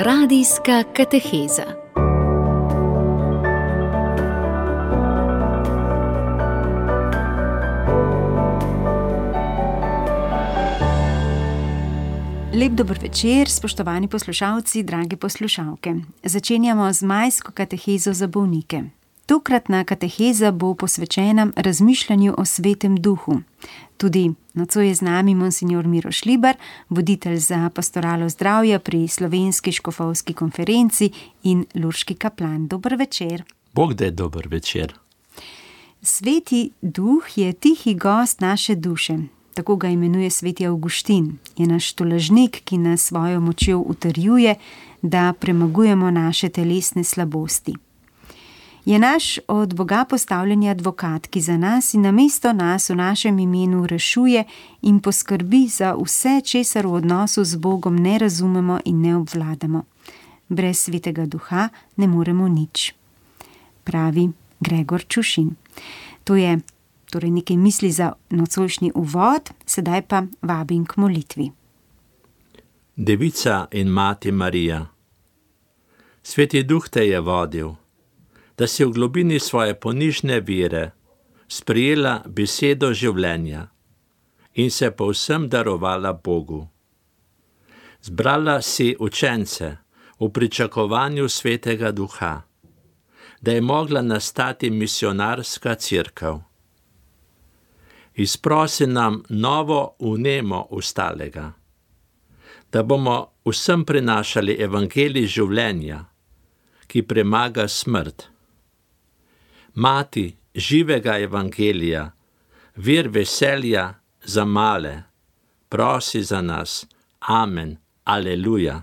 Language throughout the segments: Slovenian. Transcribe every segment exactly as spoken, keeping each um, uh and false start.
Radijska kateheza. Lep dober večer, spoštovani poslušalci, drage poslušalke. Začenjamo z majsko katehezo za bolnike. Tokratna kateheza bo posvečena razmišljanju o Svetem Duhu. Tudi nocoj je z nami monsignor Miro Šlibar, voditelj za pastoralo zdravja pri Slovenski škofovski konferenci in lurški kaplan. Dober večer. Bog da je dober večer. Sveti Duh je tihi gost naše duše. Tako ga imenuje sveti Avguštin. Je naš tolažnik, ki nas svojo močjo utrjuje, da premagujemo naše telesne slabosti. Je naš od Boga postavljeni advokat, ki za nas in namesto nas v našem imenu rešuje in poskrbi za vse, česar v odnosu z Bogom ne razumemo in ne obvladamo. Brez Svetega Duha ne moremo nič, pravi Gregor Čušin. To je torej nekaj misli za nocojšnji uvod, sedaj pa vabim k molitvi. Devica in mati Marija, Sveti Duh te je vodil, da si v globini svoje ponižne vere sprejela besedo življenja in se povsem darovala Bogu. Zbrala si učence v pričakovanju Svetega Duha, da je mogla nastati misionarska cerkev. Izprosi nam novo vnemo ustalega, da bomo vsem prinašali evangelij življenja, ki premaga smrt. Mati živega evangelija, vir veselja za male, prosi za nas. Amen. Aleluja.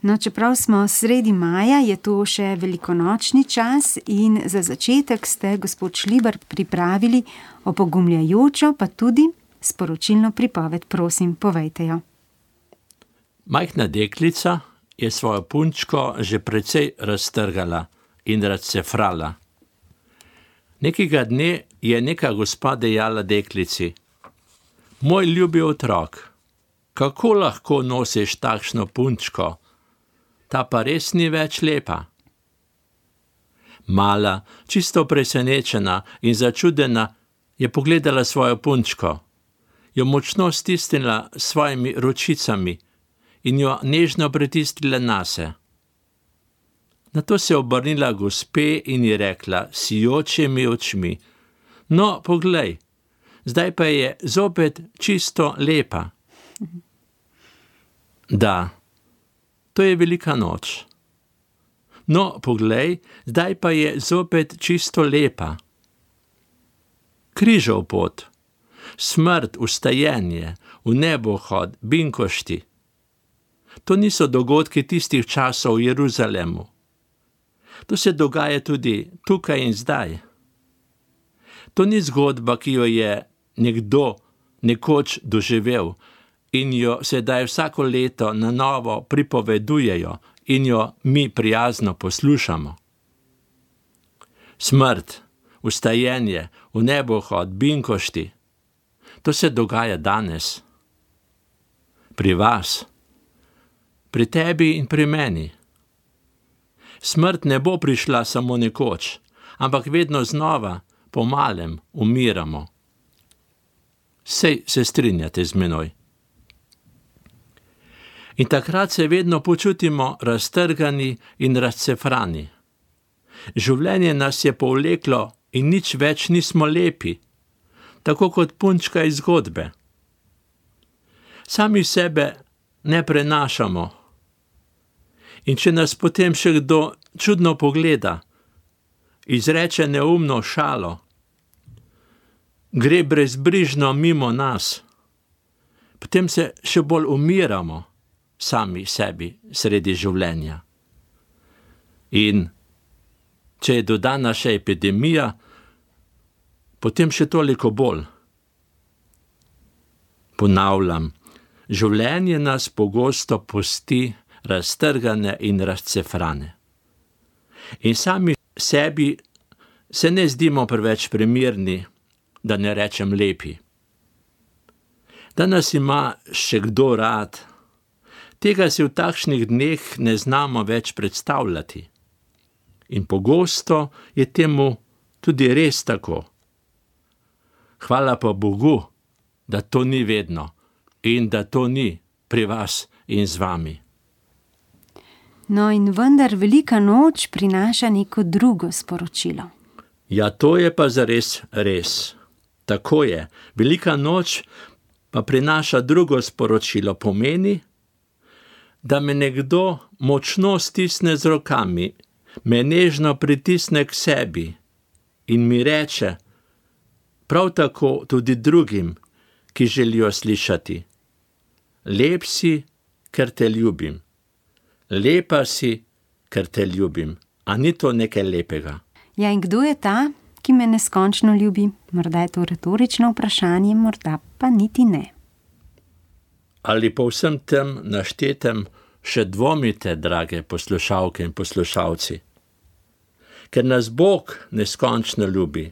No, čeprav smo sredi maja, je to še velikonočni čas in za začetek ste, gospod Šlibar, pripravili opogumljajočo, pa tudi sporočilno pripoved. Prosim, povejte jo. Majhna deklica je svojo punčko že precej raztrgala in razcefrala. Nekega dne je neka gospa dejala deklici: Moj ljubi otrok, kako lahko nosiš takšno punčko? Ta pa res ni več lepa. Mala, čisto presenečena in začudena, je pogledala svojo punčko, jo močno stisnila s svojimi ročicami in jo nežno pritisnila nase. Nato se je obrnila gospe in ji rekla s sijočimi očmi: No, poglej, zdaj pa je zopet čisto lepa. Da, to je velika noč. No, poglej, zdaj pa je zopet čisto lepa. Križov pot, smrt, vstajenje, v nebohod, binkošti. To niso dogodki tistih časov v Jeruzalemu. To se dogaja tudi tukaj in zdaj. To ni zgodba, ki jo je nekdo nekoč doživel in jo sedaj vsako leto na novo pripovedujejo in jo mi prijazno poslušamo. Smrt, vstajenje, v nebohod, binkošti, to se dogaja danes. Pri vas, pri tebi in pri meni. Smrt ne bo prišla samo nekoč, ampak vedno znova, po malem, umiramo. Sej se strinjate z menoj. In takrat se vedno počutimo raztrgani in razcefrani. Življenje nas je povleklo in nič več nismo lepi, tako kot punčka iz zgodbe. Sami sebe ne prenašamo. In če nas potem še kdo čudno pogleda, izreče neumno šalo, gre brezbrižno mimo nas, potem se še bolj umiramo sami sebi sredi življenja. In če je dodana še epidemija, potem še toliko bolj. Ponavljam, življenje nas pogosto pusti raztrgane in razcefrane. In sami sebi se ne zdimo preveč primerni, da ne rečem lepi. Da nas ima še kdo rad, Tega si v takšnih dneh ne znamo več predstavljati. In pogosto je temu tudi res tako. Hvala pa Bogu, da to ni vedno in da to ni pri vas in z vami. No in vendar velika noč prinaša neko drugo sporočilo. Ja, to je pa zares res. Tako je. Velika noč pa prinaša drugo sporočilo. Pomeni, da me nekdo močno stisne z rokami, me nežno pritisne k sebi in mi reče, prav tako tudi drugim, ki želijo slišati. Lep si, ker te ljubim. Lepa si, ker te ljubim. A ni to nekaj lepega? Ja, in kdo je ta, ki me neskončno ljubi? Morda je to retorično vprašanje, morda pa niti ne. Ali po vsem tem naštetem še dvomite, drage poslušalke in poslušalci? Ker nas Bog neskončno ljubi,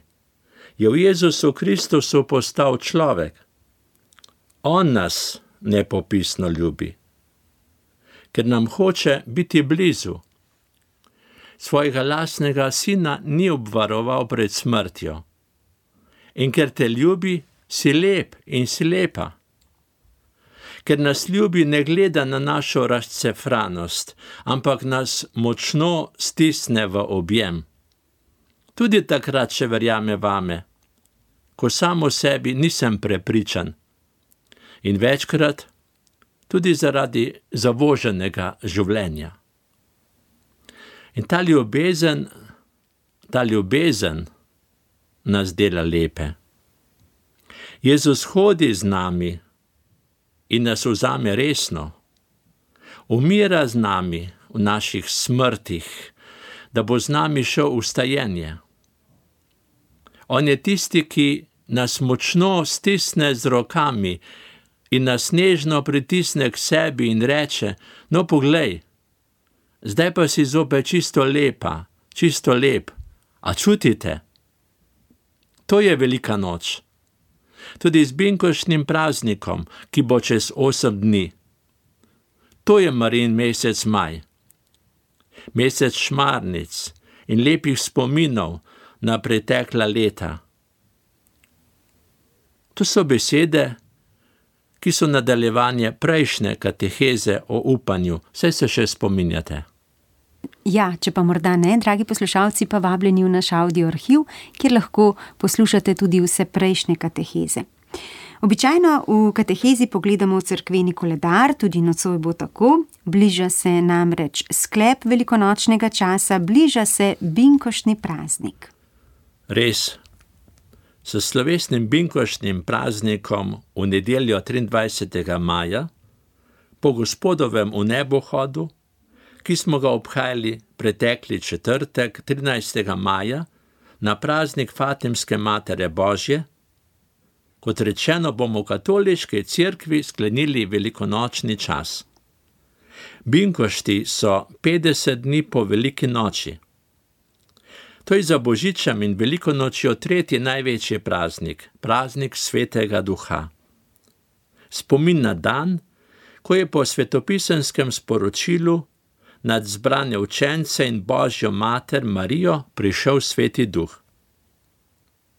je v Jezusu Kristusu postal človek. On nas nepopisno ljubi, ker nam hoče biti blizu. Svojega lastnega sina ni obvaroval pred smrtjo. In ker te ljubi, si lep in si lepa. Ker nas ljubi, ne gleda na našo razcefranost, ampak nas močno stisne v objem. Tudi takrat še verjame vame, ko samo sebi nisem prepričan. In večkrat tudi zaradi zavoženega življenja. In ta ljubezen, ta ljubezen nas dela lepe. Jezus hodi z nami in nas vzame resno. Umira z nami v naših smrtih, da bo z nami šel v stajenje. On je tisti, ki nas močno stisne z rokami in nas nežno pritisne k sebi in reče, no poglej, zdaj pa si zopet čisto lepa, čisto lep. A čutite? To je velika noč. Tudi z binkoštnim praznikom, ki bo čez osem dni. To je Marijin mesec maj. Mesec šmarnic in lepih spominov na pretekla leta. To so besede, ki so nadaljevanje prejšnje kateheze o upanju. Saj se še spominjate. Ja, če pa morda ne, dragi poslušalci, pa vabljeni v naš audio arhiv, kjer lahko poslušate tudi vse prejšnje kateheze. Običajno v katehezi pogledamo v cerkveni koledar, tudi nocoj bo tako. Bliža se namreč sklep velikonočnega časa, bliža se binkoštni praznik. Res. S slovesnim binkoštnim praznikom v nedeljo triindvajsetega maja, po Gospodovem vnebohodu, ki smo ga obhajali pretekli četrtek, trinajstega maja, na praznik Fatimske Matere Božje, kot rečeno, bomo v katoliški cerkvi sklenili velikonočni čas. Binkošti so petdeset dni po veliki noči. To je za Božičem in veliko nočjo tretji največji praznik, praznik Svetega Duha. Spomin na dan, ko je po svetopisenskem sporočilu nad zbrane učence in Božjo mater Marijo prišel Sveti Duh.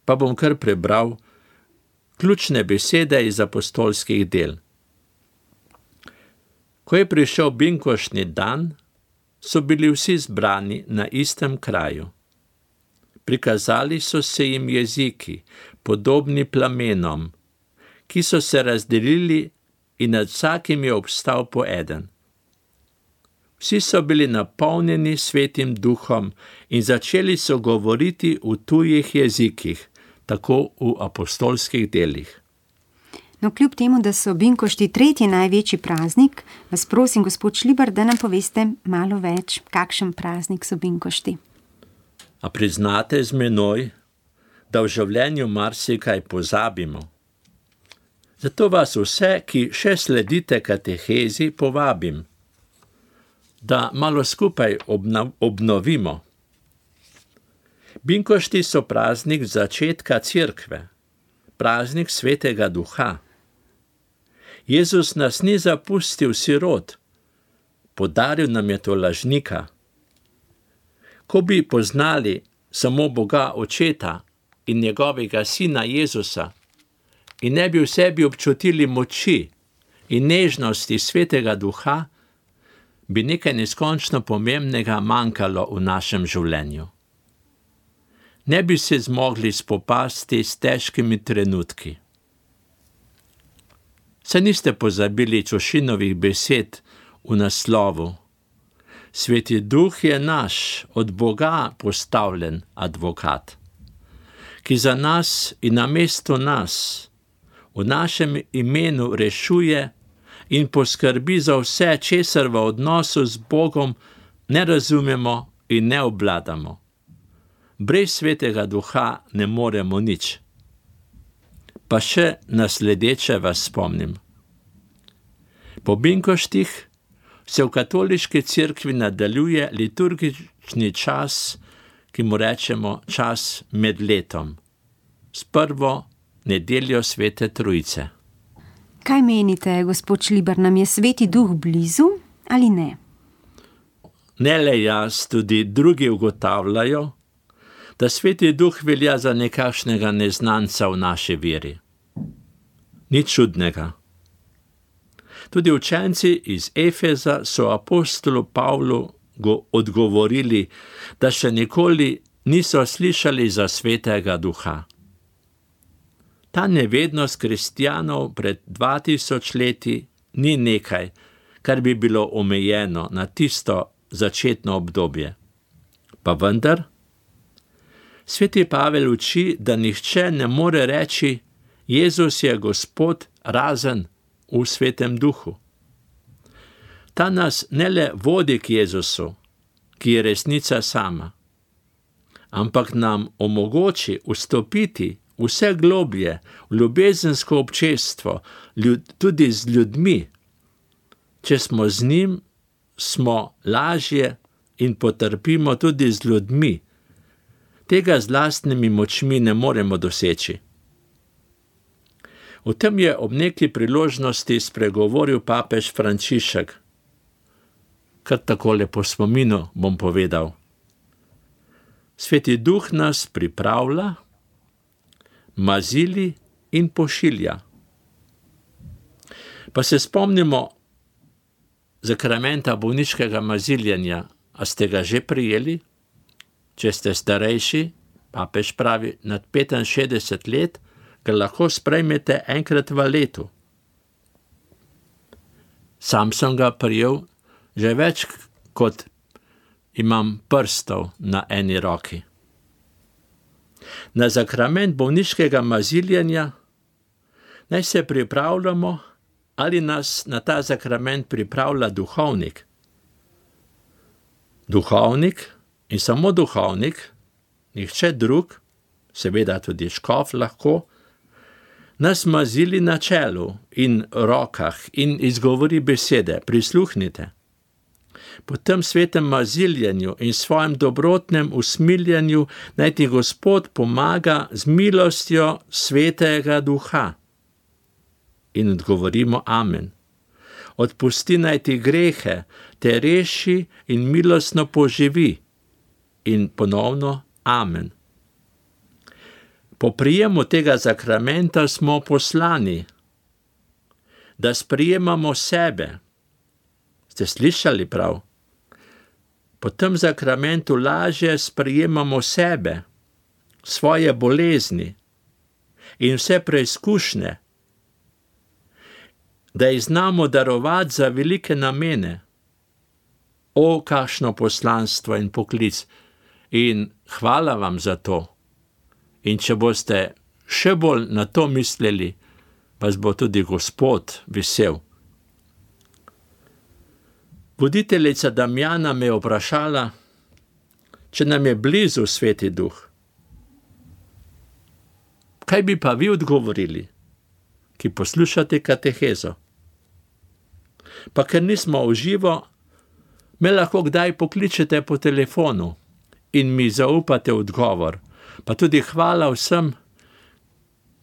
Pa bom kar prebral ključne besede iz apostolskih del. Ko je prišel binkoštni dan, so bili vsi zbrani na istem kraju. Prikazali so se jim jeziki, podobni plamenom, ki so se razdelili in nad vsakim je obstal po eden. Vsi so bili napolnjeni Svetim Duhom in začeli so govoriti v tujih jezikih, tako v apostolskih delih. No, kljub temu, da so binkošti tretji največji praznik, vas prosim, gospod Šlibar, da nam poveste malo več, kakšen praznik so binkošti. A priznate z menoj, da v življenju marsikaj pozabimo. Zato vas vse, ki še sledite katehezi, povabim, da malo skupaj obno- obnovimo. Binkošti so praznik začetka cerkve, praznik Svetega Duha. Jezus nas ni zapustil sirot, podaril nam je to lažnika. Ko bi poznali samo Boga Očeta in njegovega Sina Jezusa in ne bi v sebi občutili moči in nežnosti Svetega Duha, bi nekaj neskončno pomembnega manjkalo v našem življenju. Ne bi se zmogli spopasti s težkimi trenutki. Saj niste pozabili Čošinovih besed v naslovu. Sveti Duh je naš, od Boga postavljen advokat, ki za nas in namesto nas v našem imenu rešuje in poskrbi za vse, česar v odnosu z Bogom ne razumemo in ne obvladamo. Brez Svetega Duha ne moremo nič. Pa še nasledeče vas spomnim. Po binkoštih se v katoliški cerkvi nadaljuje liturgični čas, ki mu rečemo čas med letom, s prvo nedeljo Svete Trojice. Kaj menite, gospod Šlibar, nam je Sveti Duh blizu ali ne? Ne le jaz, tudi drugi ugotavljajo, da Sveti Duh velja za nekakšnega neznanca v naši veri. Nič čudnega. Tudi učenci iz Efeza so apostolu Pavlu odgovorili, da še nikoli niso slišali za Svetega Duha. Ta nevednost kristjanov pred dva tisoč leti ni nekaj, kar bi bilo omejeno na tisto začetno obdobje. Pa vendar, Sveti Pavel uči, da nihče ne more reči, Jezus je Gospod razen v Svetem Duhu. Ta nas ne le vodi k Jezusu, ki je resnica sama, ampak nam omogoči vstopiti vse globlje v ljubezensko občestvo, ljud, tudi z ljudmi. Če smo z njim, smo lažje in potrpimo tudi z ljudmi. Tega z lastnimi močmi ne moremo doseči. O tem je ob neki priložnosti spregovoril papež Frančišek. Kar takole po spominu bom povedal. Sveti Duh nas pripravlja, mazili in pošilja. Pa se spomnimo zakramenta bolniškega maziljenja. A ste ga že prijeli? Če ste starejši, papež pravi, nad petinšestdeset let, ga lahko sprejmete enkrat v letu. Sam sem ga prijel že več, kot imam prstov na eni roki. Na zakrament bolniškega maziljenja naj se pripravljamo, ali nas na ta zakrament pripravlja duhovnik. Duhovnik in samo duhovnik, nihče drug, seveda tudi škof lahko, nas mazili na čelu in rokah in izgovori besede, prisluhnite. Po tem svetem maziljenju in svojem dobrotnem usmiljanju naj ti Gospod pomaga z milostjo Svetega Duha. In odgovorimo amen. Odpusti naj ti grehe, te reši in milostno poživi. In ponovno amen. Po prijemu tega zakramenta smo poslani, da sprijemamo sebe. Ste slišali prav? Po tem zakramentu lažje sprijemamo sebe, svoje bolezni in vse preizkušnje, da jih znamo darovati za velike namene. O, kakšno poslanstvo in poklic! In hvala vam za to. In če boste še bolj na to mislili, vas bo tudi Gospod vesel. Voditeljica Damjana me je vprašala, če nam je blizu Sveti Duh. Kaj bi pa vi odgovorili, ki poslušate katehezo? Pa ker nismo v živo, me lahko kdaj pokličete po telefonu in mi zaupate odgovor. Pa tudi hvala vsem,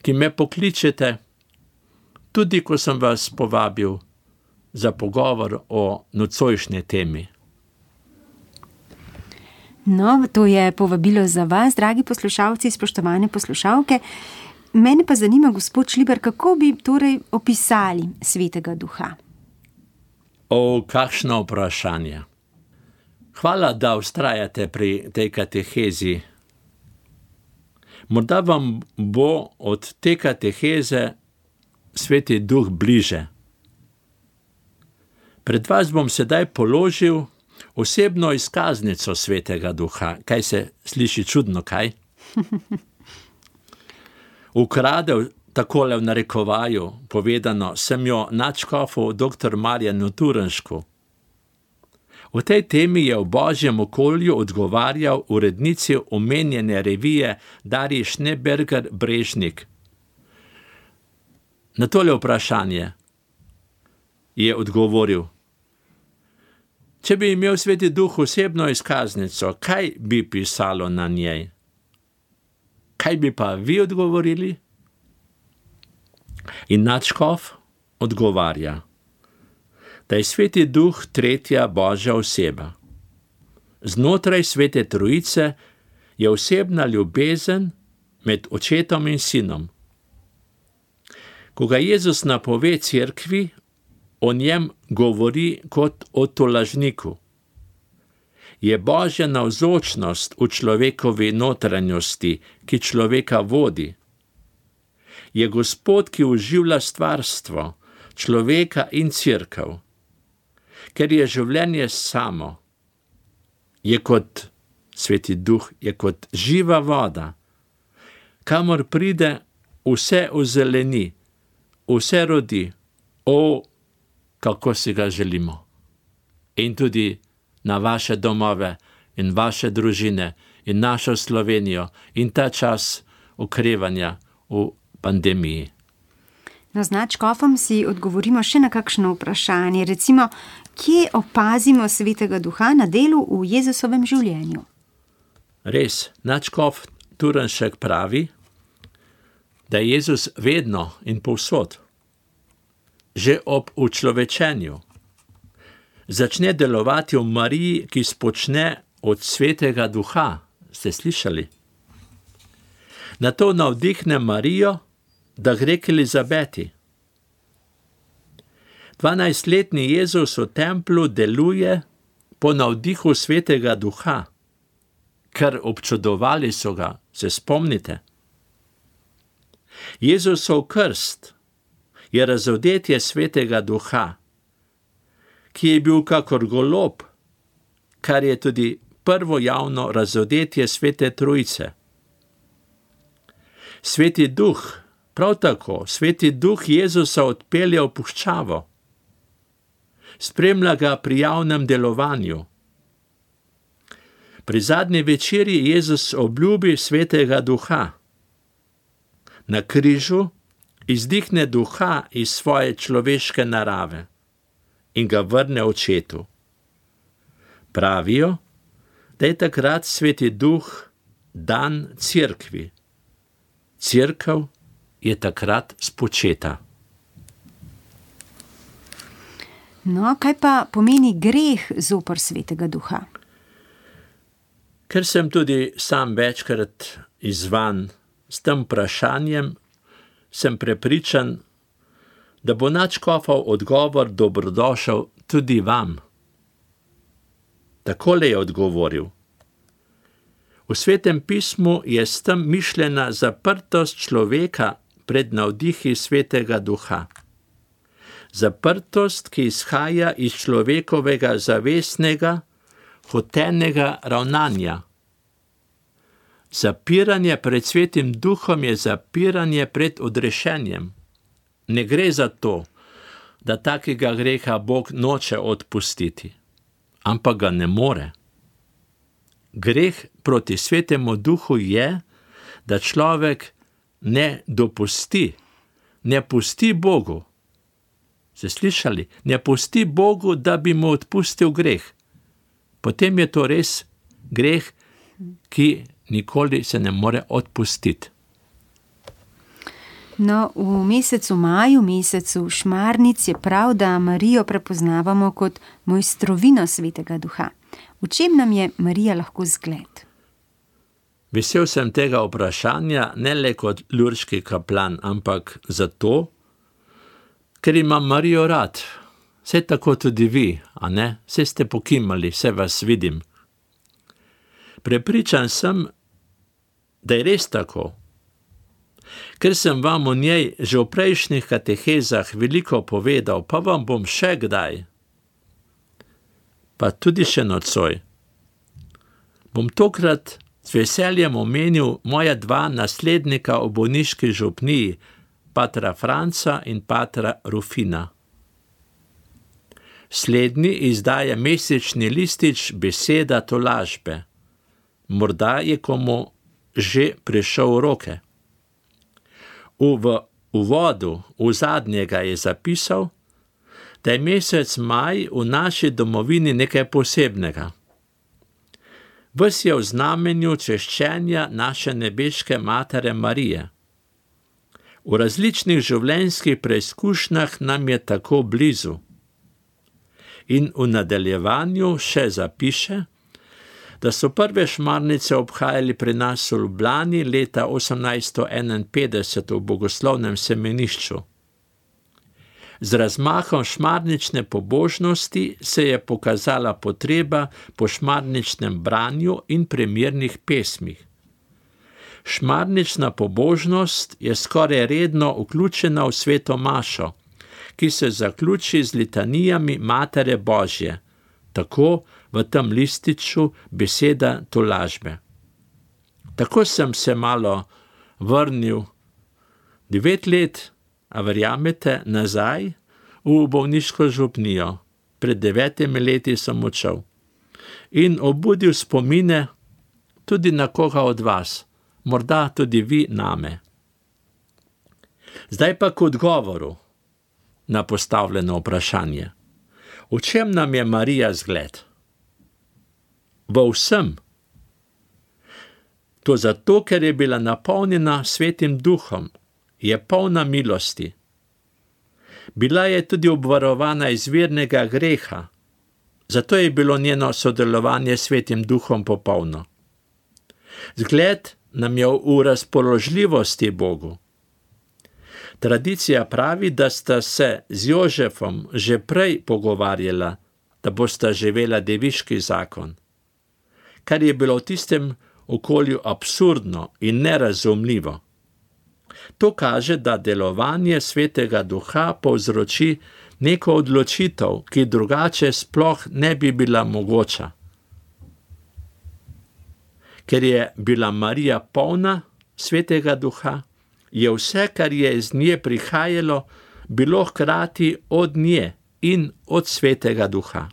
ki me pokličete, tudi ko sem vas povabil za pogovor o nocojšnji temi. No, to je povabilo za vas, dragi poslušalci, spoštovane poslušalke. Mene pa zanima, gospod Šlibar, kako bi torej opisali Svetega Duha? O, kakšno vprašanje. Hvala, da vztrajate pri tej katehezi. Morda vam bo od te kateheze Sveti Duh bliže. Pred vas bom sedaj položil osebno izkaznico Svetega Duha. Kaj se sliši čudno, kaj? Ukradel, takole v narekovaju povedano, sem jo nadškofu doktor Marjanu Turnšku. V tej temi je v Božjem okolju odgovarjal urednici omenjene revije Darji Schneeberger Brežnik. Na tole vprašanje je odgovoril: če bi imel Sveti Duh osebno izkaznico, kaj bi pisalo na njej? Kaj bi pa vi odgovorili? In nadškof odgovarja, da je Sveti Duh tretja Božja oseba. Znotraj Svete Trojice je osebna ljubezen med očetom in sinom. Ko ga Jezus napove cerkvi, o njem govori kot o tolažniku. Je Božja navzočnost v človekovi notranjosti, ki človeka vodi. Je Gospod, ki oživlja stvarstvo, človeka in cerkev. Ker je življenje samo. Je kot Sveti Duh, je kot živa voda. Kamor pride, vse ozeleni, vse rodi. O, kako si ga želimo. In tudi na vaše domove in vaše družine in našo Slovenijo in ta čas okrevanja v pandemiji. No, z nadškofom si odgovorimo še na kakšno vprašanje. Recimo, kje opazimo Svetega Duha na delu v Jezusovem življenju? Res, nadškof Turnšek pravi, da je Jezus vedno in povsod, že ob učlovečenju, začne delovati v Mariji, ki spočne od Svetega Duha. Ste slišali? Nato navdihne Marijo, da gre k Elizabeti. Dvanajstletni Jezus v templu deluje po navdihu Svetega Duha, ker občudovali so ga, se spomnite. Jezusov krst je razodetje Svetega Duha, ki je bil kakor golob, kar je tudi prvo javno razodetje Svete Trojice. Sveti Duh, prav tako, Sveti Duh Jezusa odpelje v puščavo. Spremlja ga pri javnem delovanju. Pri zadnji večerji Jezus obljubi Svetega Duha. Na križu izdihne Duha iz svoje človeške narave in ga vrne očetu. Pravijo, da je takrat Sveti Duh dan cerkvi. Cerkev je takrat spočeta. No, kaj pa pomeni greh zoper Svetega Duha? Ker sem tudi sam večkrat izzvan s tem vprašanjem, sem prepričan, da bo nadškofov odgovor dobrodošel tudi vam. Takole je odgovoril. V Svetem pismu je s tem mišljena zaprtost človeka pred navdihi Svetega Duha. Zaprtost, ki izhaja iz človekovega zavestnega, hotenega ravnanja. Zapiranje pred Svetim Duhom je zapiranje pred odrešenjem. Ne gre za to, da takega greha Bog noče odpustiti, ampak ga ne more. Greh proti Svetemu Duhu je, da človek ne dopusti, ne pusti Bogu. Ste slišali? Ne pusti Bogu, da bi mu odpustil greh. Potem je to res greh, ki nikoli se ne more odpustiti. No, v mesecu maju, mesecu šmarnic je prav, da Marijo prepoznavamo kot mojstrovino Svetega Duha. V čem nam je Marija lahko zgled? Vesel sem tega vprašanja ne le kot lurški kaplan, ampak zato, ker imam Marijo rad. Vse tako tudi vi, a ne? Vse ste pokimali, vse vas vidim. Prepričan sem, da je res tako. Ker sem vam o njej že v prejšnjih katehezah veliko povedal, pa vam bom še kdaj, pa tudi še nocoj, bom tokrat z veseljem omenil moja dva naslednika v bolniški župniji, patra Franca in patra Rufina. Slednji izdaja mesečni listič Beseda tolažbe. Morda je komu že prišel v roke. V uvodu, v zadnjega je zapisal, da je mesec maj v naši domovini nekaj posebnega. Ves je v znamenju češčenja naše nebeške Matere Marije. V različnih življenjskih preizkušnjah nam je tako blizu. In v nadaljevanju še zapiše, da so prve šmarnice obhajali pri nas v Ljubljani leta osemnajststo enainpetdeset v bogoslovnem semenišču. Z razmahom šmarnične pobožnosti se je pokazala potreba po šmarničnem branju in primernih pesmih. Šmarnična pobožnost je skoraj redno vključena v sveto mašo, ki se zaključi z litanijami Matere Božje, tako v tem lističu Beseda tolažbe. Tako sem se malo vrnil devet let, a verjamete, nazaj v bolniško župnijo. Pred devetimi leti sem odšel in obudil spomine tudi na koga od vas, morda tudi vi name. Zdaj pa k odgovoru na postavljeno vprašanje. V čem nam je Marija zgled? V vsem. To zato, ker je bila napolnjena Svetim Duhom, je polna milosti. Bila je tudi obvarovana izvirnega greha, zato je bilo njeno sodelovanje s Svetim Duhom popolno. Zgled nam je v razpoložljivosti Bogu. Tradicija pravi, da sta se z Jožefom že prej pogovarjala, da bosta živela deviški zakon, kar je bilo v tistem okolju absurdno in nerazumljivo. To kaže, da delovanje Svetega Duha povzroči neko odločitev, ki drugače sploh ne bi bila mogoča. Ker je bila Marija polna Svetega Duha, je vse, kar je iz nje prihajalo, bilo hkrati od nje in od Svetega Duha.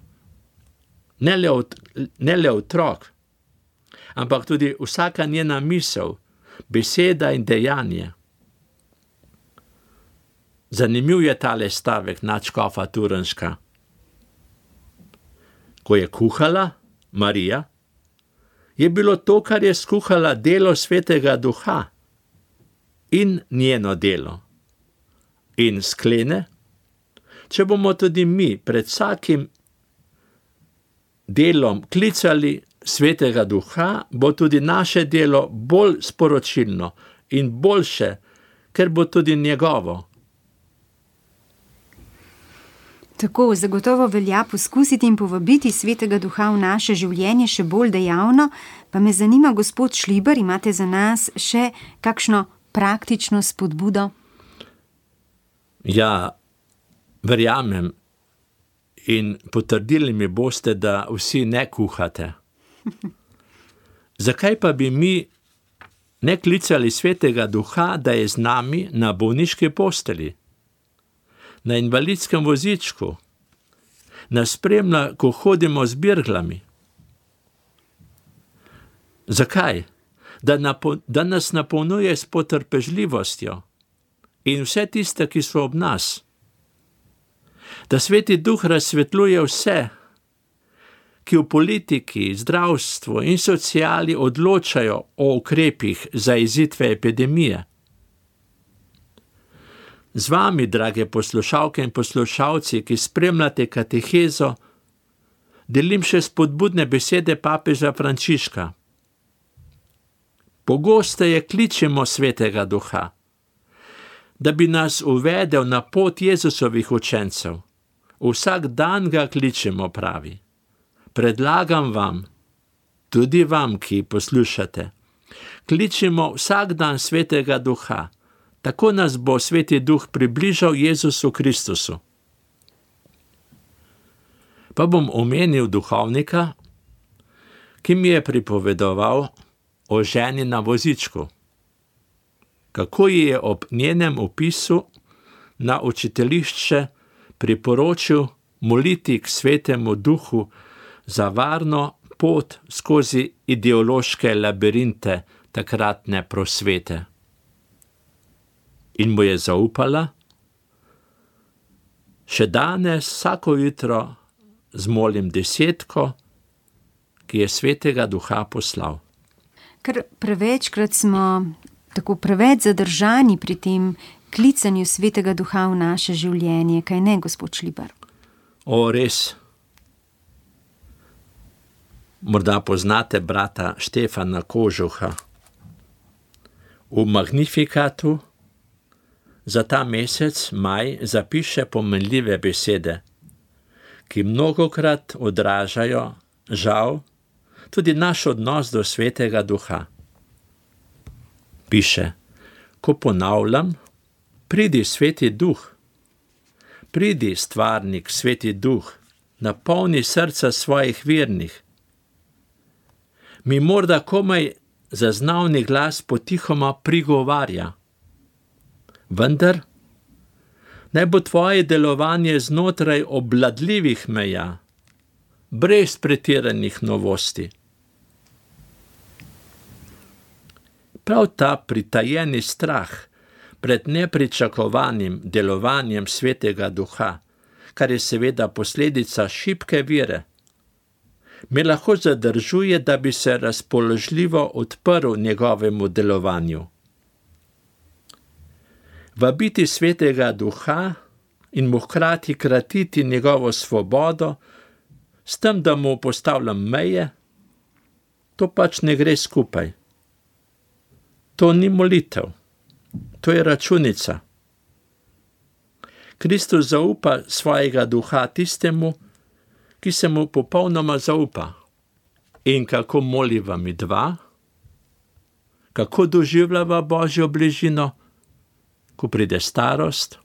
Ne le, od, ne le otrok, ampak tudi vsaka njena misel, beseda in dejanje. Zanimiv je tale stavek nadškofa Turnška. Ko je kuhala Marija, je bilo to, kar je skuhala, delo Svetega Duha in njeno delo. In sklene, če bomo tudi mi pred vsakim delom klicali Svetega Duha, bo tudi naše delo bolj sporočilno in boljše, ker bo tudi njegovo. Tako, zagotovo velja poskusiti in povabiti Svetega Duha v naše življenje še bolj dejavno, pa me zanima, gospod Šliber, imate za nas še kakšno praktično spodbudo? Ja, verjamem in potrdili mi boste, da vsi ne kuhate. Zakaj pa bi mi ne klicali Svetega Duha, da je z nami na bolniški posteli, na invalidskem vozičku, nas spremlja, ko hodimo z birglami? Zakaj? Da, napo, da nas napolnjuje s potrpežljivostjo in vse tiste, ki so ob nas. Da Sveti Duh razsvetljuje vse, ki v politiki, zdravstvu in sociali odločajo o ukrepih za izidve epidemije. Z vami, drage poslušalke in poslušalci, ki spremljate katehezo, delim še spodbudne besede papeža Frančiška. Pogosteje kličemo Svetega Duha, da bi nas uvedel na pot Jezusovih učencev. Vsak dan ga kličemo, pravi. Predlagam vam, tudi vam, ki poslušate, kličemo vsak dan Svetega Duha, tako nas bo Sveti Duh približal Jezusu Kristusu. Pa bom omenil duhovnika, ki mi je pripovedoval o ženi na vozičku, kako ji je ob njenem opisu na učiteljišče priporočil moliti k Svetemu Duhu za varno pot skozi ideološke labirinte takratne prosvete. In mu je zaupala, še danes vsako jutro zmolim desetko, ki je Svetega Duha poslal. Ker prevečkrat smo tako preveč zadržani pri tem klicanju Svetega Duha v naše življenje, kaj ne, gospod Šlibar? O, res. Morda poznate brata Štefana Kožuha. V Magnifikatu za ta mesec, maj, zapiše pomenljive besede, ki mnogokrat odražajo, žal, tudi naš odnos do Svetega Duha. Piše, ko ponavljam, pridi Sveti Duh, pridi stvarnik Sveti Duh, napolni srca svojih vernih. Mi morda komaj zaznavni glas potihoma prigovarja. Vendar naj bo tvoje delovanje znotraj obvladljivih meja, brez pretiranih novosti. Prav ta pritajeni strah pred nepričakovanim delovanjem Svetega Duha, kar je seveda posledica šibke vere, me lahko zadržuje, da bi se razpoložljivo odprl njegovemu delovanju. Vabiti Svetega Duha in mu hkrati kratiti njegovo svobodo, s tem, da mu postavljam meje, to pač ne gre skupaj. To ni molitev, to je računica. Kristus zaupa svojega Duha tistemu, ki se mu popolnoma zaupa. In kako moliva mi dva? Kako doživljava Božjo bližino, ko pride starost?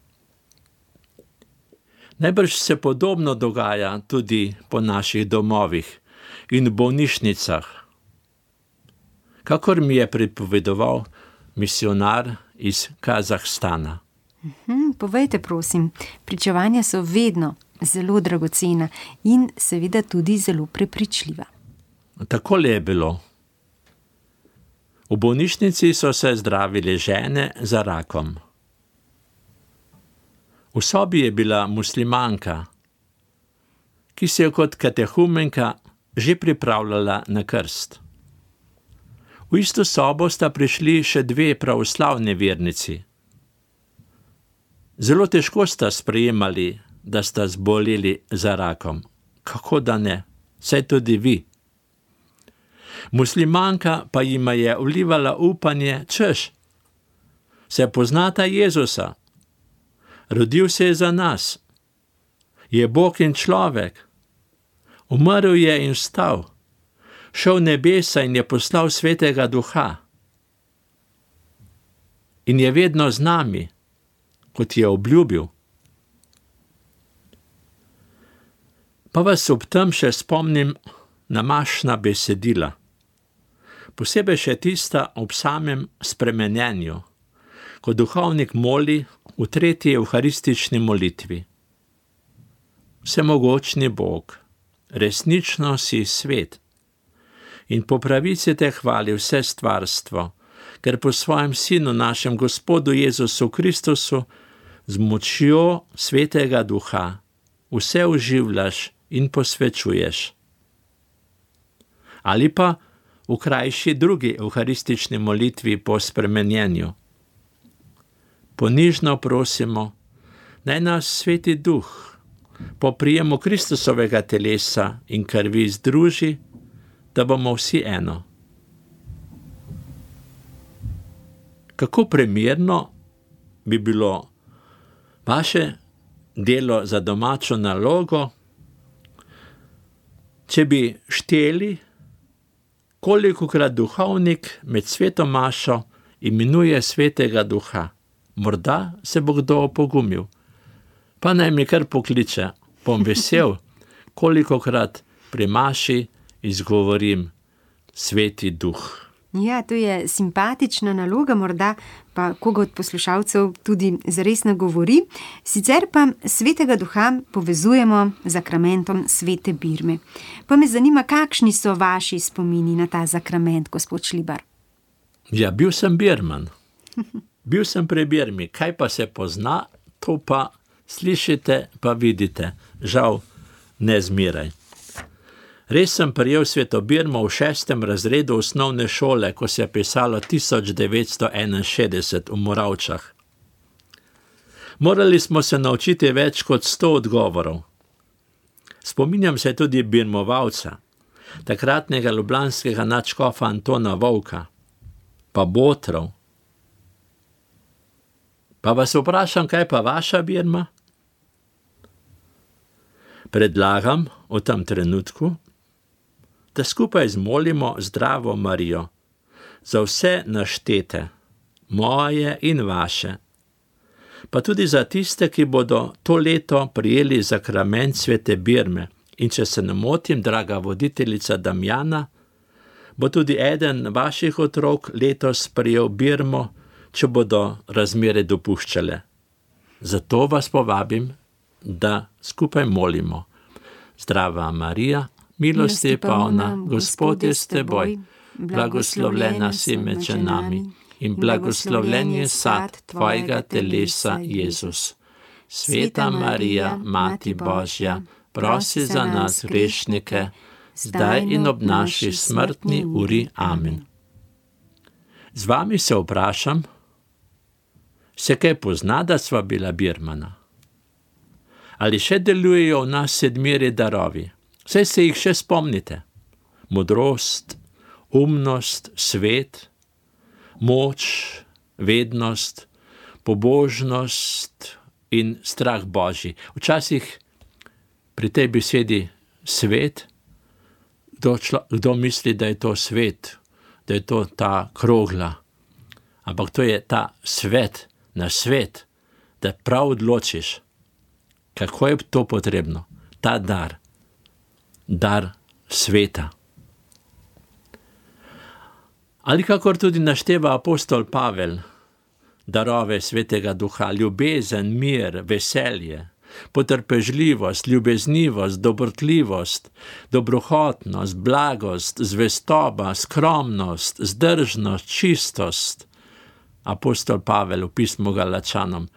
Najbrž se podobno dogaja tudi po naših domovih in bolnišnicah. Kakor mi je pripovedoval misionar iz Kazahstana. Mhm, povejte, prosim, pričevanja so vedno zelo dragocena in seveda tudi zelo prepričljiva. Takole je bilo. V bolnišnici so se zdravile žene za rakom. V sobi je bila muslimanka, ki se je kot katehumenka že pripravljala na krst. V isto sobo sta prišli še dve pravoslavne vernici. Zelo težko sta sprejemali, da sta zboleli za rakom. Kako da ne? Saj tudi vi. Muslimanka pa jima je vlivala upanje, češ, se poznata Jezusa, rodil se je za nas, je Bog in človek, umrl je in vstal, šel nebesa in je poslal Svetega Duha in je vedno z nami, kot je obljubil. Pa vas ob tem še spomnim na mašna besedila, posebej še tista ob samem spremenjenju, ko duhovnik moli v tretji evharistični molitvi. Vsemogočni Bog, resnično si svet in po pravici te hvali vse stvarstvo, ker po svojem Sinu, našem Gospodu Jezusu Kristusu, z močjo Svetega Duha vse oživljaš in posvečuješ. Ali pa v krajši drugi evharistični molitvi po spremenjenju. ponižno prosimo, naj nas Sveti Duh po prijemu Kristusovega telesa in krvi združi, da bomo vsi eno. Kako primerno bi bilo vaše delo za domačo nalogo, če bi šteli, kolikokrat duhovnik med sveto mašo imenuje Svetega Duha. Morda se bo kdo opogumil, pa naj mi kar pokliče, bom vesel, kolikokrat pri maši izgovorim Sveti Duh. Ja, to je simpatična naloga, morda pa koga od poslušalcev tudi zares nagovori. Sicer pa Svetega Duha povezujemo z zakramentom svete birme. Pa me zanima, kakšni so vaši spomini na ta zakrament, gospod Šlibar? Ja, bil sem birman. Bil sem pri birmi. Kaj pa se pozna, to pa slišite, pa vidite. Žal, ne zmeraj. Res sem prijel sveto birmo v šestem razredu osnovne šole, ko se je pisalo tisoč devetsto enainšestdeset v Moravčah. Morali smo se naučiti več kot sto odgovorov. Spominjam se tudi birmovalca, takratnega ljubljanskega nadškofa Antona Vovka, pa botrov. Pa vas vprašam, kaj pa vaša birma? Predlagam v tem trenutku, da skupaj zmolimo Zdravo Marijo za vse naštete, moje in vaše, pa tudi za tiste, ki bodo to leto prijeli zakrament svete birme. In če se ne motim, draga voditeljica Damjana, bo tudi eden vaših otrok letos prijel birmo, če bodo razmere dopuščale. Zato vas povabim, da skupaj molimo. Zdrava Marija, milosti polna, Gospod je s teboj, blagoslovljena si med ženami in blagoslovljen je sad tvojega telesa, Jezus. Sveta Marija, Mati Božja, prosi za nas grešnike, zdaj in ob naši smrtni uri. Amen. Z vami se vprašam, se kaj pozna, da sva bila birmana? Ali še delujejo v nas sedmiri darovi? Saj se jih še spomnite. Modrost, umnost, svet, moč, vednost, pobožnost in strah Božji. Včasih pri tej besedi svet, kdo, člo, kdo misli, da je to svet, da je to ta krogla. Ampak to je ta svet, na svet, da prav odločiš, kako je to potrebno. Ta dar, dar sveta. Ali kakor tudi našteva apostol Pavel, darove Svetega Duha, ljubezen, mir, veselje, potrpežljivost, ljubeznivost, dobrotljivost, dobrohotnost, blagost, zvestoba, skromnost, zdržnost, čistost. Apostol Pavel v pismu Galačanom.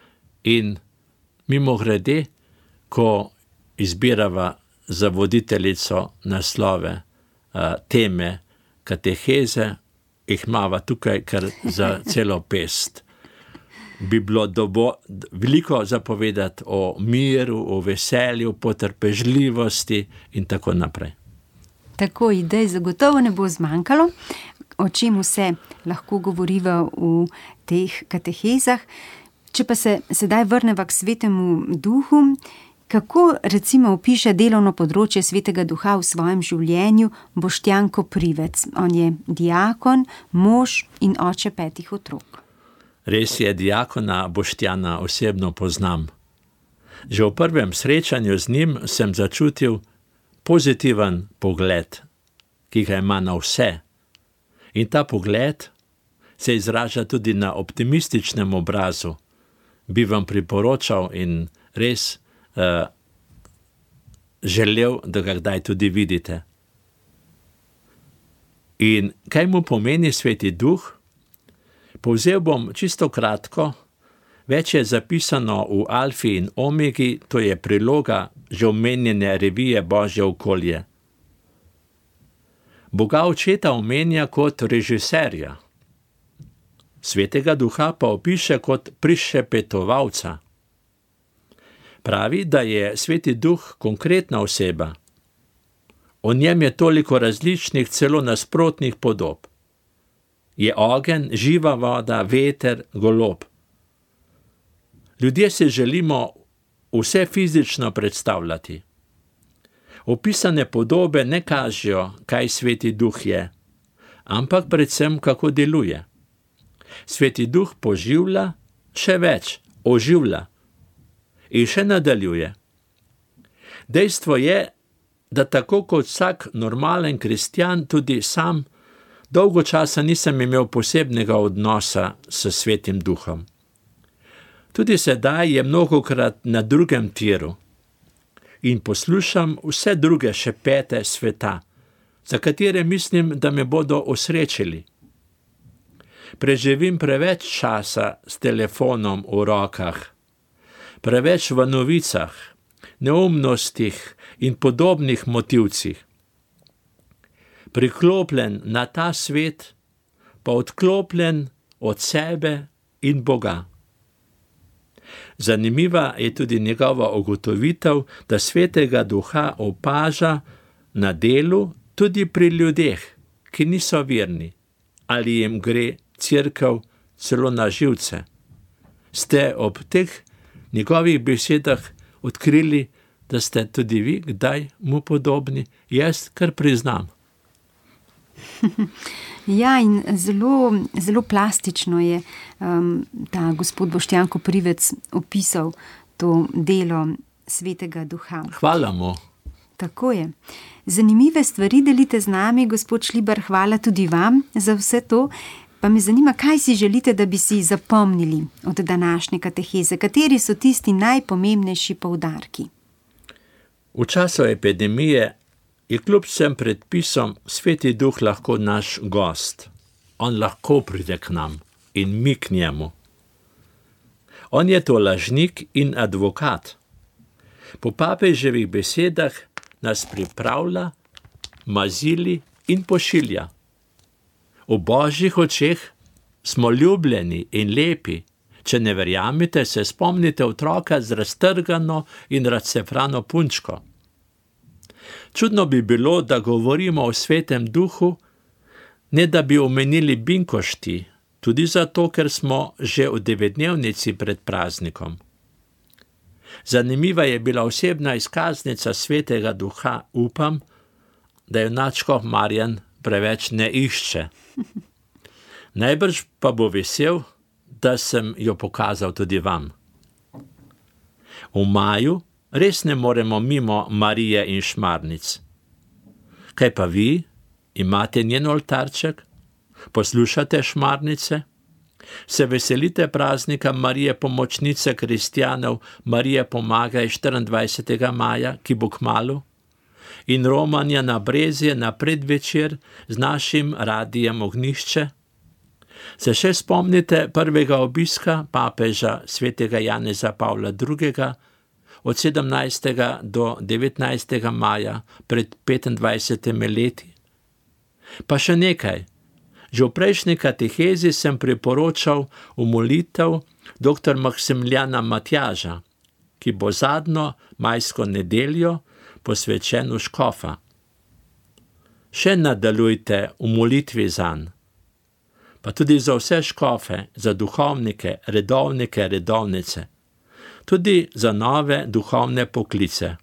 In mimogrede, ko izbirava za voditeljico naslove uh, teme kateheze, jih imava tukaj kar za celo pest. Bi bilo dobo, veliko zapovedati o miru, o veselju, potrpežljivosti in tako naprej. Tako idej zagotovo ne bo zmanjkalo, o čem vse lahko govoriva v teh katehezah. Če pa se sedaj vrneva k Svetemu Duhu, kako recimo opiše delovno področje Svetega Duha v svojem življenju Boštjan Koprivec? On je diakon, mož in oče petih otrok. Res je, diakona Boštjana osebno poznam. Že v prvem srečanju z njim sem začutil pozitiven pogled, ki ga ima na vse. In ta pogled se izraža tudi na optimističnem obrazu. Bi vam priporočal in res uh, želel, da ga kdaj tudi vidite. In kaj mu pomeni Sveti Duh? Povzel bom čisto kratko, več je zapisano v Alfi in Omegi, to je priloga že omenjene revije Božje okolje. Boga očeta omenja kot režiserja. Svetega Duha pa opiše kot prišepetovalca. Pravi, da je Sveti Duh konkretna oseba. O njem je toliko različnih, celo nasprotnih podob. Je ogenj, živa voda, veter, golob. Ljudje se želimo vse fizično predstavljati. Opisane podobe ne kažejo, kaj Sveti Duh je, ampak predvsem, kako deluje. Sveti Duh poživlja, še več, oživlja in še nadaljuje. Dejstvo je, da tako kot vsak normalen kristjan, tudi sam dolgo časa nisem imel posebnega odnosa s Svetim Duhom. Tudi sedaj je mnogokrat na drugem tiru in poslušam vse druge šepete sveta, za katere mislim, da me bodo osrečili. Preživim preveč časa s telefonom v rokah, preveč v novicah, neumnostih in podobnih motivcih. Priklopljen na ta svet, pa odklopljen od sebe in Boga. Zanimiva je tudi njegova ugotovitev, da Svetega Duha opaža na delu tudi pri ljudeh, ki niso verni, ali jim gre Cerkev celo na živce. Ste ob teh njegovih besedah odkrili, da ste tudi vi kdaj mu podobni? Jaz kar priznam. Ja, in zelo, zelo plastično je um, ta gospod Boštjan Koprivec opisal to delo Svetega Duha. Hvala mu. Tako je. Zanimive stvari delite z nami, gospod Šlibar, hvala tudi vam za vse to. Pa me zanima, kaj si želite, da bi si zapomnili od današnje kateheze? Kateri so tisti najpomembnejši poudarki? V času epidemije je kljub vsem predpisom Sveti Duh lahko naš gost. On lahko pride k nam in mi k njemu. On je to lažnik in advokat. Po papeževih besedah nas pripravlja, mazili in pošilja. V Božjih očeh smo ljubljeni in lepi. Če ne verjamete, se spomnite otroka z raztrgano in razcefrano punčko. Čudno bi bilo, da govorimo o Svetem Duhu, ne da bi omenili binkošti, tudi zato, ker smo že v devetdnevnici pred praznikom. Zanimiva je bila osebna izkaznica Svetega Duha, upam, da jo nadškof Marjan preveč ne išče. Najbrž pa bo vesel, da sem jo pokazal tudi vam. V maju res ne moremo mimo Marije in Šmarnic. Kaj pa vi? Imate njen oltarček? Poslušate Šmarnice? Se veselite praznika Marije pomočnice kristjanov, Marije pomagaj štiriindvajsetega maja, ki bo kmalu? In romanja na Brezje na predvečer z našim radijem Ognjišče? Se še spomnite prvega obiska papeža svetega Janeza Pavla drugega od sedemnajstega do devetnajstega maja pred petindvajsetimi leti? Pa še nekaj. Že v prejšnji katehezi sem priporočal v molitev doktor Maksimiljana Matjaža, ki bo zadnjo majsko nedeljo posvečen v škofa. Še nadaljujte v molitvi zanj, pa tudi za vse škofe, za duhovnike, redovnike, redovnice, tudi za nove duhovne poklice.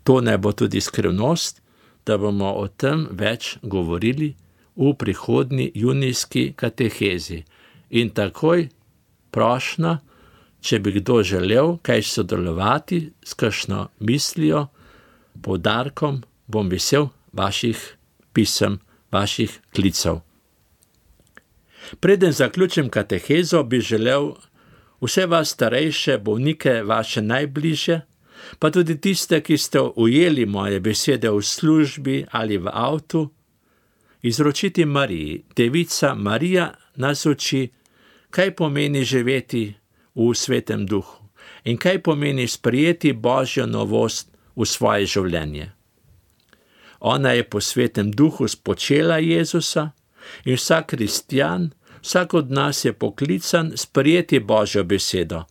To ne bo tudi skrivnost, da bomo o tem več govorili v prihodnji junijski katehezi. In takoj prošnja, če bi kdo želel kaj sodelovati s kakšno mislijo, poudarkom, bom vesel vaših pisem, vaših klicev. Preden zaključim katehezo, bi želel vse vas starejše bolnike, vaše najbližje, pa tudi tiste, ki ste ujeli moje besede v službi ali v avtu, izročiti Mariji. Devica Marija nas uči, kaj pomeni živeti v Svetem Duhu in kaj pomeni sprejeti Božjo novost v svoje življenje. Ona je po Svetem Duhu spočela Jezusa in vsak kristjan Vsak od nas je poklican sprejeti Božjo besedo,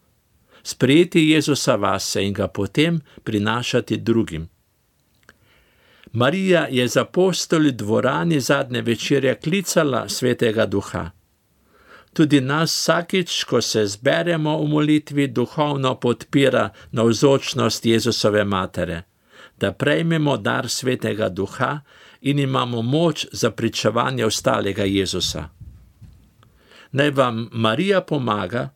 sprejeti Jezusa vase in ga potem prinašati drugim. Marija je z apostoli v dvorani zadnje večerje klicala Svetega Duha. Tudi nas vsakič, ko se zberemo v molitvi, duhovno podpira navzočnost Jezusove matere, da prejmemo dar Svetega Duha in imamo moč za pričevanje ostalega Jezusa. Naj vam Marija pomaga,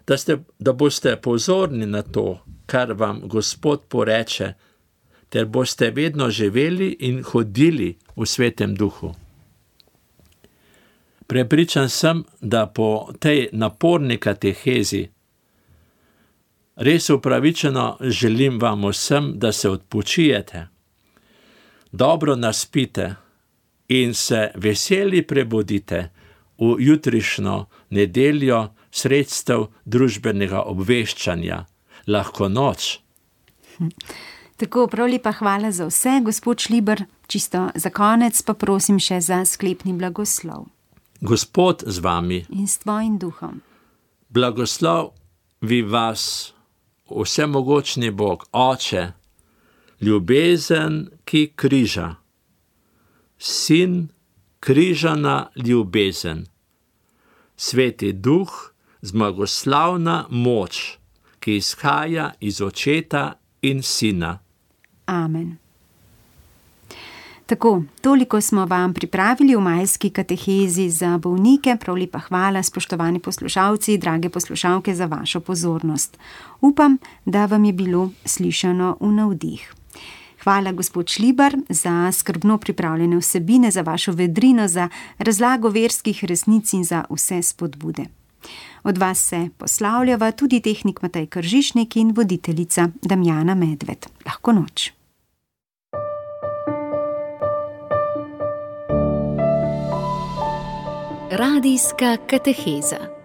da, ste, da boste pozorni na to, kar vam Gospod poreče, ter boste vedno živeli in hodili v Svetem Duhu. Prepričan sem, da po tej naporni katehezi res upravičeno želim vam vsem, da se odpočijete, dobro naspite in se veseli prebudite v jutrišnjo nedeljo sredstev družbenega obveščanja, lahko noč. Tako, prav lepa hvala za vse, gospod Šliber. Čisto za konec pa prosim še za sklepni blagoslov. Gospod z vami. In s tvojim duhom. Blagoslov vi vas, vsemogočni Bog, Oče, ljubezen, ki križa, Sin, križana ljubezen, Sveti Duh, zmagoslavna moč, ki izhaja iz Očeta in Sina. Amen. Tako, toliko smo vam pripravili v majski katehezi za bolnike. Prav lepa hvala, spoštovani poslušalci, drage poslušalke, za vašo pozornost. Upam, da vam je bilo slišano v navdih. Hvala, gospod Šliber, za skrbno pripravljene vsebine, za vašo vedrino, za razlago verskih resnic in za vse spodbude. Od vas se poslavljava tudi tehnik Matej Kržišnik in voditeljica Damjana Medved. Lahko noč. Radijska kateheza.